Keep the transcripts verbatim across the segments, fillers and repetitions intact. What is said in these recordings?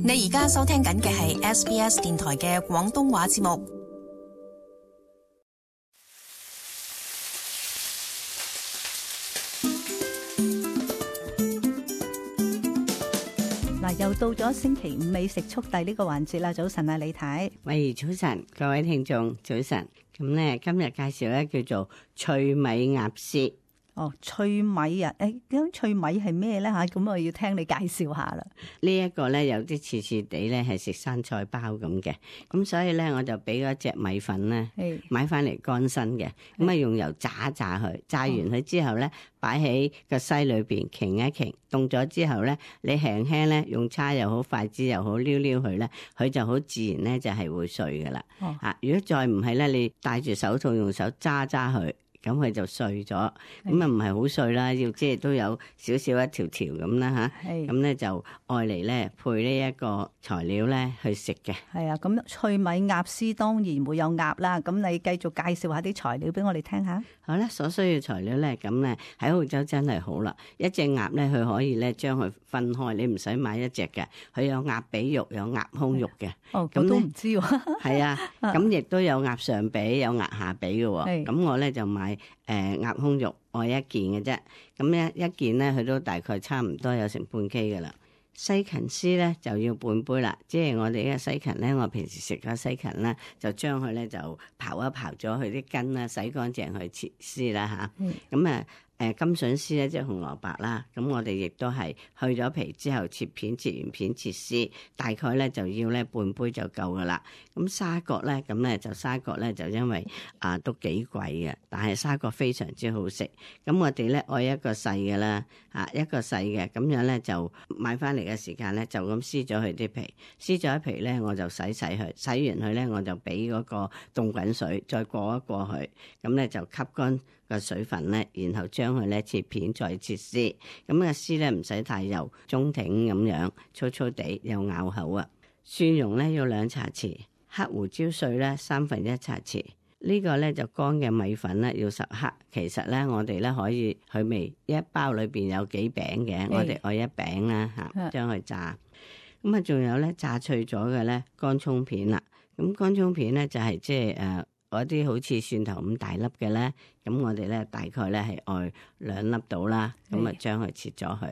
你而家收聽緊嘅係 S B S 電台嘅廣東話節目。嗱，又到咗星期五美食速遞呢個環節啦。早晨啊，李太。喂，早晨，各位聽眾，早晨。咁咧，今日介紹咧叫做脆米鴨絲。哦，脆米啊，誒，咁脆米係咩咧吓？咁我要聽你介紹下啦。呢一個咧有啲似似地咧係食生菜包咁嘅，咁所以咧我就俾嗰隻米粉咧買翻嚟乾身嘅，咁啊用油炸一炸佢，炸完佢之後咧擺喺個篩裏邊擎一擎，凍咗之後咧你輕輕咧用叉又好筷子又好撩撩佢咧，佢就好自然咧就係會碎噶啦。哦、啊，如果再唔係咧，你戴住手套用手揸揸佢。咁佢就碎咗，咁啊唔係好碎啦，要即係都有少少一條條咁啦吓，咁咧就愛嚟咧配呢一個材料咧去食嘅。係啊，咁脆米鴨絲當然會有鴨啦，咁你繼續介紹下啲材料俾我哋聽下。好啦，所需要材料咧，咁咧喺澳洲真係好啦，一隻鴨咧佢可以咧將佢分開，你唔使買一隻嘅，佢有鴨髀肉，有鴨胸肉嘅。哦，咁都唔知喎。係啊，咁亦都有鴨上髀，有鴨下髀嘅喎。咁我咧就買。誒鴨胸肉我一件嘅啫，咁咧一件咧佢都大概差唔多有成半 K 嘅啦。西芹絲咧就要半杯啦，即係我哋呢個西芹咧，我平時食嘅西芹咧，就將佢咧就刨一刨咗佢啲根啦，洗乾淨去切絲啦吓，咁啊。誒金筍絲咧，即係紅蘿蔔啦，咁我哋亦都係去咗皮之後切片，切完片切絲，大概咧就要咧半杯就夠噶啦。咁沙葛咧，咁咧就沙葛咧就因為啊都幾貴嘅，但係沙葛非常之好食。咁我哋咧愛一個細嘅啦，啊一個細嘅，咁樣咧就買翻嚟嘅時間咧就咁撕咗佢啲皮，撕咗啲皮咧我就洗洗佢，洗完佢咧我就俾嗰個凍滾水再過一過佢，咁咧就吸乾個水分咧，然後將佢咧切片再切絲，咁個絲咧唔使太幼，中挺咁樣，粗粗地有咬口啊。蒜蓉咧要兩茶匙，黑胡椒碎咧三分一茶匙。呢個咧就乾嘅米粉咧要十克。其實咧我哋咧可以佢味一包裏邊有幾餅嘅，我哋愛一餅啦吓，將佢炸。咁啊仲有咧炸脆咗嘅咧乾葱片啦。咁乾葱片咧就係即係誒。嗰啲好似蒜頭咁大粒嘅咧，咁我哋咧大概咧係愛兩粒到啦，咁啊將佢切咗佢，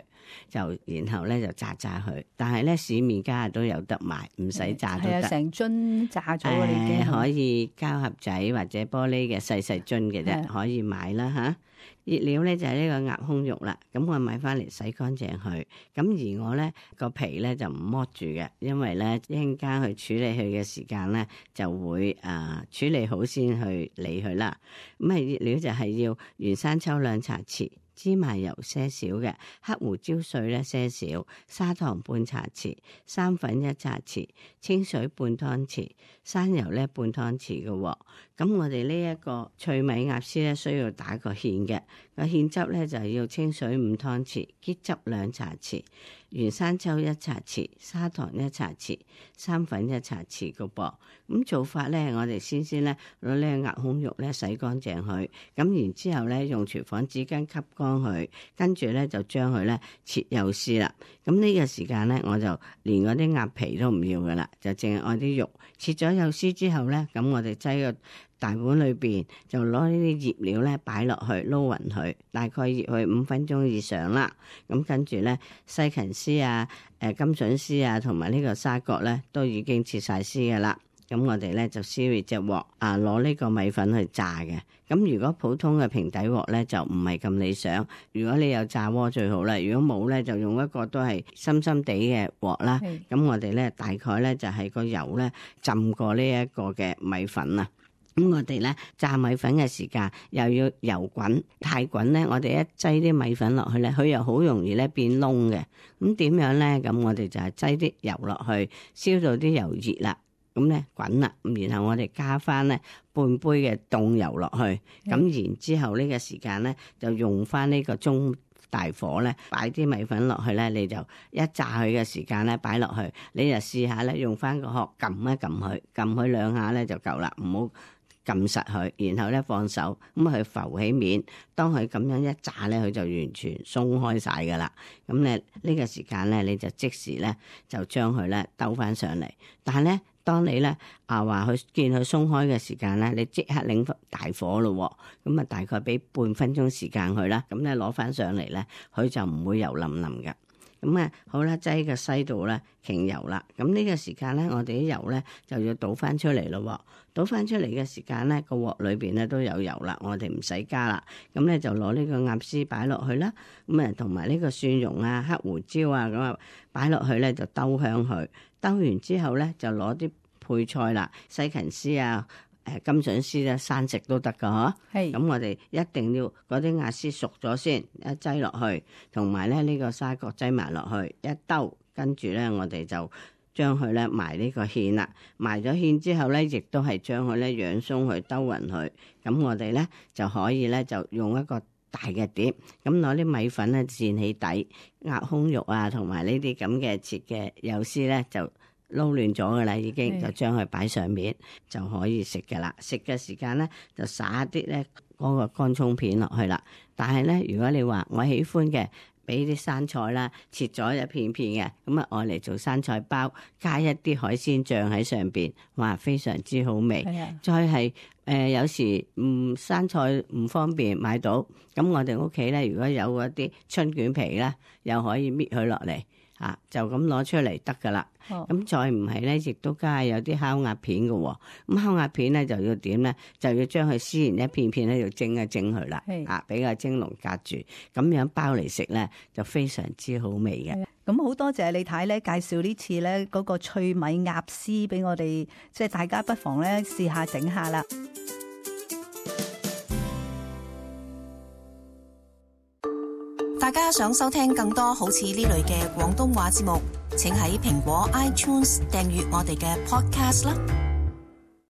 就然後咧就炸炸佢。但係咧市面家都有得賣，唔使炸都得。係啊，成樽炸咗嘅已經。可以膠盒仔或者玻璃嘅細細樽嘅啫，可以買啦吓。熱料咧就係呢個鴨胸肉啦，咁我買翻嚟洗乾淨佢，咁而我咧個皮咧就唔剝住嘅，因為咧一陣間去處理佢嘅時間咧就會誒、呃、處理好先去理佢啦。咁啊熱料就係要原生抽兩茶匙。芝麻油些少嘅，黑胡椒碎咧些少，砂糖半茶匙，生粉一茶匙，清水半湯匙，生油咧半湯匙嘅。咁我哋呢一個脆米鴨絲咧需要打個芡嘅，個芡汁咧就要清水五湯匙，桔汁兩茶匙，原生抽一茶匙，砂糖一茶匙，生粉一茶匙嘅噃。咁做法咧，我哋先先咧攞呢個鴨胸肉咧洗乾淨佢，咁然之後咧用廚房紙巾吸乾佢，跟住咧就將佢咧切幼絲啦。咁呢個時間咧，我就連嗰啲鴨皮都唔要噶啦，就淨係愛啲肉切咗幼絲之後咧，咁我哋擠個大碗裏邊就攞呢啲醃料咧擺落去撈勻佢，大概醃佢五分鐘以上啦。咁跟住咧西芹絲啊、誒金筍絲啊同埋呢個沙葛咧都已經切晒絲噶啦。咁我哋咧就燒熱隻鑊啊，攞呢個米粉去炸嘅。咁如果普通嘅平底鑊咧就唔係咁理想，如果你有炸鍋最好啦。如果冇咧就用一個都係深深地嘅鑊啦。咁我哋咧大概咧就係個油咧浸過呢一個嘅米粉啊。咁我哋咧炸米粉嘅時間又要油滾，太滾咧我哋一擠啲米粉落去咧，佢又好容易咧變燶嘅。咁點樣咧？咁我哋就係擠啲油落去，燒到啲油熱啦。咁咧滾啦，然後我哋加翻咧半杯嘅凍油落去，咁、嗯、然之後呢個時間咧就用翻呢個中大火咧，擺啲米粉落去咧，你就一炸佢嘅時間咧擺落去，你就試下咧用翻個殼撳一撳佢，撳佢兩下咧就夠啦，唔好撳實佢，然後咧放手，咁佢浮起面。當佢咁樣一炸咧，佢就完全鬆開晒噶啦。咁咧呢個時間咧，你就即時咧就將佢咧兜翻上嚟。但係咧，當你咧啊話佢見佢鬆開嘅時間咧，你即刻擰大火咯。咁啊，大概俾半分鐘時間佢啦。咁咧攞翻上嚟咧，佢就唔會油淋淋嘅。咁啊，好啦，擠個西度咧，擎油啦。咁呢個時間咧，我哋啲油咧就要倒翻出嚟咯。倒翻出嚟嘅時間咧，個鑊裏邊咧都有油啦，我哋唔使加啦。咁咧就攞呢個鴨絲擺落去啦。咁啊，同埋呢個蒜蓉啊、黑胡椒啊，咁啊擺落去咧就兜香佢。兜完之後咧，就攞啲配菜啦，西芹絲啊。誒金筍絲咧生食都得噶嗬，係咁我哋一定要嗰啲鴨絲熟咗先，一擠落去，同埋咧呢個沙葛擠埋落去一兜，跟住咧我哋就將佢咧埋呢個芡啦，埋咗芡之後咧，亦都係將佢咧養鬆佢兜勻佢，咁我哋咧就可以咧就用一個大嘅碟，咁攞啲米粉咧墊起底，鴨胸肉啊同埋呢啲咁嘅切嘅幼絲咧就撈亂咗噶啦，已經就將佢擺上面就可以食噶啦。食嘅時間咧就撒啲咧嗰個乾葱片落去啦。但係咧，如果你話我喜歡嘅，俾啲生菜啦，切咗一片片嘅，咁啊愛嚟做生菜包，加一啲海鮮醬喺上邊，哇，非常之好味。再係誒、呃、有時唔、嗯、生菜唔方便買到，咁我哋屋企咧如果有嗰啲春卷皮咧，又可以搣佢落嚟。啊，就咁攞出嚟得噶啦。咁、哦、再唔係咧，亦都加有啲烤鴨片嘅、哦。咁烤鴨片咧就要點咧？就要將佢撕完一片片咧，要蒸一蒸佢啦。啊，俾個蒸籠隔住，咁樣包嚟食咧，就非常之好味嘅。咁好多謝李太咧介紹呢次咧嗰個脆米鴨絲俾我哋，即係大家不妨咧試下整下啦。大家想收聽更多好似呢類嘅廣東話節目，請喺蘋果 iTunes 訂閱我哋嘅 Podcast 啦。